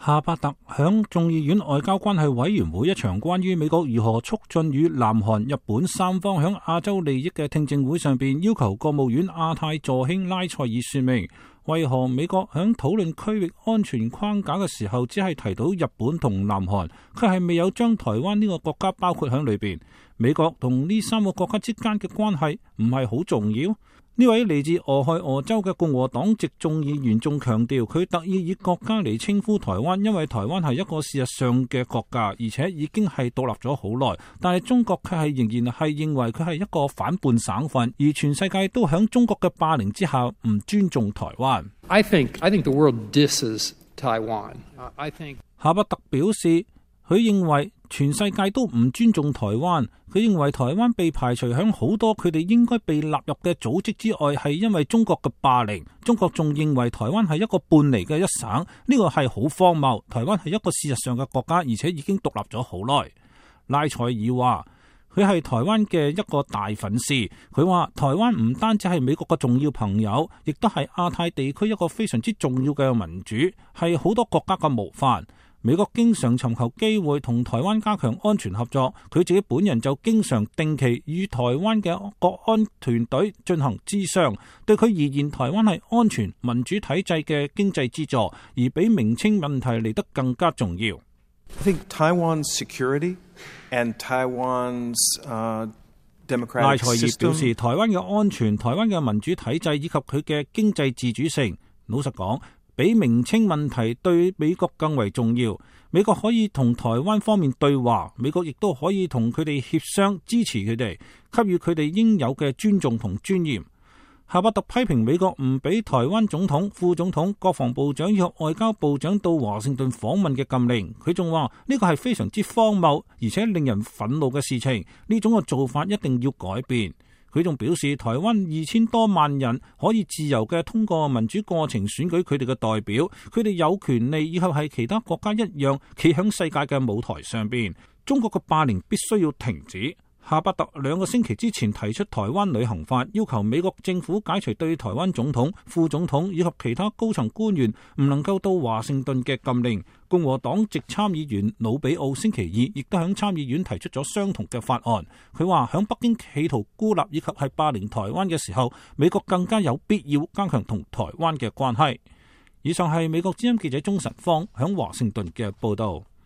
夏伯特響眾議院外交關係委員會一場關於美國如何促進與南韓、日本三方響亞洲利益嘅聽證會上邊，要求國務院亞太助卿拉塞爾說明，為何美國響討論區域安全框架嘅時候，只係提到日本同南韓，佢係未有將台灣呢個國家包括響裏邊。美國同呢三個國家之間嘅關係唔係好重要？呢位嚟自俄亥俄州嘅共和黨籍眾議員仲強調，佢特意以國家嚟稱呼台灣，因為台灣係一個事實上嘅國家，而且已經係獨立咗好耐。但係中國卻係仍然係認為佢係一個反叛省份，而全世界都響中國嘅霸凌之下唔尊重台灣。I think the world disses Taiwan. I think 夏伯特表示，佢認為全世界都唔尊重台灣，佢認為台灣被排除響好多佢哋應該被納入嘅組織之外，係因為中國嘅霸凌。中國仲認為台灣係一個半離嘅一省，呢個係好荒謬。台灣係一個事實上嘅國家，而且已經獨立咗好耐。拉塞爾話佢係台灣嘅一個大粉絲，佢話台灣唔單止係美國嘅重要朋友，亦都係亞太地區一個非常之重要嘅民主，係好多國家嘅模範。美國經常尋求機會同台灣加強安全合作，佢自己本人就經常定期與台灣嘅國安團隊進行諮商。對佢而言，台灣係安全民主體制嘅經濟支柱，而比名稱問題嚟得更加重要。I think Taiwan's security and Taiwan's democratic system. 拉塞爾表示，台灣嘅安全、台灣嘅民主體制以及佢嘅經濟自主性，老實講，比名稱問題對美國更為重要。美國可以同台灣方面對話，美國亦都可以同佢哋協商，支持佢哋，給予佢哋應有嘅尊重同尊嚴。夏伯特批評美國唔俾台灣總統、副總統、國防部長以及外交部長到華盛頓訪問嘅禁令。佢仲話呢個係非常之荒謬，而且令人憤怒嘅事情。呢種嘅做法一定要改變。佢仲表示，台灣2000多萬人可以自由嘅通過民主過程選舉佢哋嘅代表，佢哋有權利以及係其他國家一樣企響世界嘅舞台上邊。中國嘅霸凌必須要停止。夏伯特2個星期之前提出台灣旅行法，要求美國政府解除對台灣總統、副總統以及其他高層官員唔能夠到華盛頓嘅禁令。共和黨籍參議員魯比奧星期二亦都響參議院提出咗相同嘅法案。佢話響北京企圖孤立以及係霸凌台灣嘅時候，美國更加有必要加強同台灣嘅關係。以上係美國之音記者鍾晨芳響華盛頓嘅報道。